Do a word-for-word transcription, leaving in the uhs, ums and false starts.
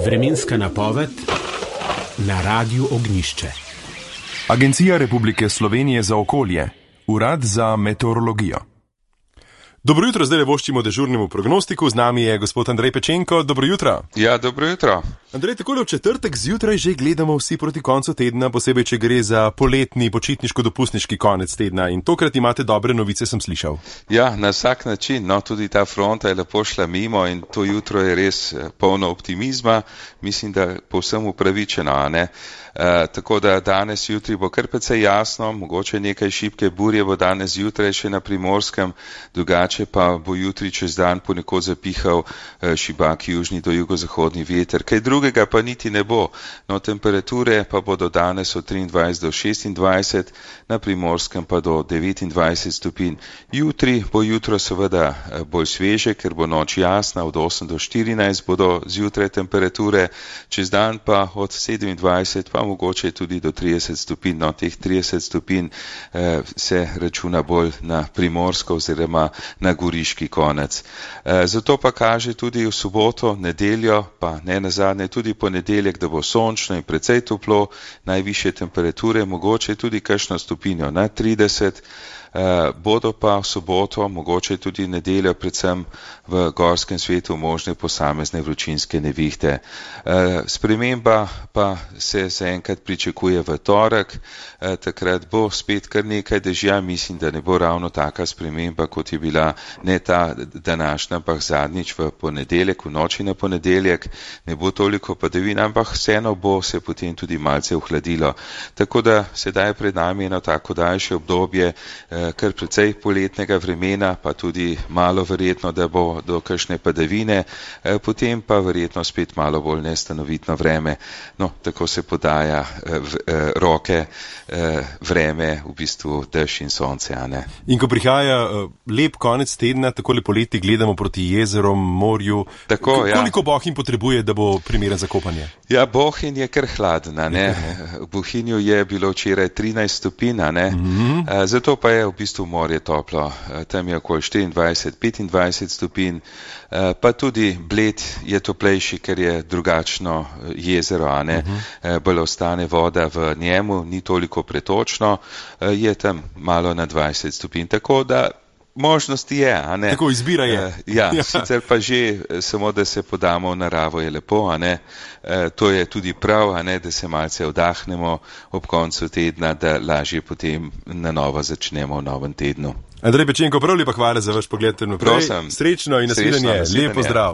Vremenska napoved na Radiu Ognjišče. Agencija Republike Slovenije za okolje, Urad za meteorologijo. Dobro jutro, zdaj le voščimo dežurnemu prognostiku, z nami je gospod Andrej Pečenko. Dobro jutro. Ja, dobro jutro. Andrej, takole v četrtek zjutraj že gledamo vsi proti koncu tedna, posebej, če gre za poletni, počitniško-dopustniški konec tedna in tokrat imate dobre novice, sem slišal. Ja, na vsak način, no, tudi ta fronta je lepo šla mimo in to jutro je res polno optimizma, mislim, da povsem upravičeno, a ne? Uh, tako da danes jutri bo kar precej jasno, mogoče nekaj šibke burje bo danes jutraj še na Primorskem, drugače pa bo jutri čez dan ponekod zapihal uh, šibak južni do jugozahodni veter. Kaj drugega pa niti ne bo, no temperature pa bodo danes od triindvajset do šestindvajset, na Primorskem pa do devetindvajset stopinj. Jutri bo jutro seveda bolj sveže, ker bo noč jasna, od osem do štirinajst bodo zjutraj temperature, čez dan pa od sedemindvajset pa mogoče tudi do trideset stopinj, no teh trideset stopinj eh, se računa bolj na Primorsko oziroma na Goriški konec. Eh, zato pa kaže tudi v soboto, nedeljo, pa ne nazadnje tudi ponedeljek, da bo sončno in precej toplo, najvišje temperature, mogoče tudi kakšno stopinjo na trideset, eh, bodo pa v soboto, mogoče tudi nedeljo, predvsem v gorskem svetu možne posamezne vročinske nevihte. Eh, sprememba pa se zaenkrat pričakuje v torek, eh, takrat bo spet kar nekaj dežja, mislim, da ne bo ravno taka sprememba, kot je bila ne ta današnja, ampak zadnjič v ponedeljek, v noči na ponedeljek, ne bo toliko padavin, ampak vseeno bo se potem tudi malce ohladilo. Tako da sedaj pred nami eno tako daljše obdobje, eh, kar precej poletnega vremena, pa tudi malo verjetno, da bo do kakšne padavine, eh, potem pa verjetno spet malo bolj nestanovitno vreme. No, tako se podaja eh, v, eh, roke eh, vreme, v bistvu dež in sonce, a ne. In ko prihaja eh, lep konec tedna, takole poleti gledamo proti jezerom, morju, tako, K- ja. koliko Bohinj potrebuje, da bo primeren za kopanje? Ja, Bohinj je kar hladen, a ne. V Bohinju je bilo včeraj trinajst stopinj, a ne. Mm-hmm. Eh, zato pa je v bistvu morje toplo. Eh, tam je okoli štiriindvajset, petindvajset stopinj, eh, pa tudi Bled je toplejši, ker je drugačno jezero, a ne. Uh-huh. Eh, bolj ostane voda v njemu, ni toliko pretočno, eh, je tam malo na dvajset stopinj, tako da možnosti je, a ne. Tako izbira je. Uh, ja, ja, sicer pa že samo, da se podamo v naravo je lepo, a ne. Uh, to je tudi prav, a ne, da se malce vdahnemo ob koncu tedna, da lažje potem na novo začnemo v novem tednu. Andrej Pečenko, prav lepa hvala za vaš pogled naprej. Prosim. Srečno in nasvidenje. Lep pozdrav.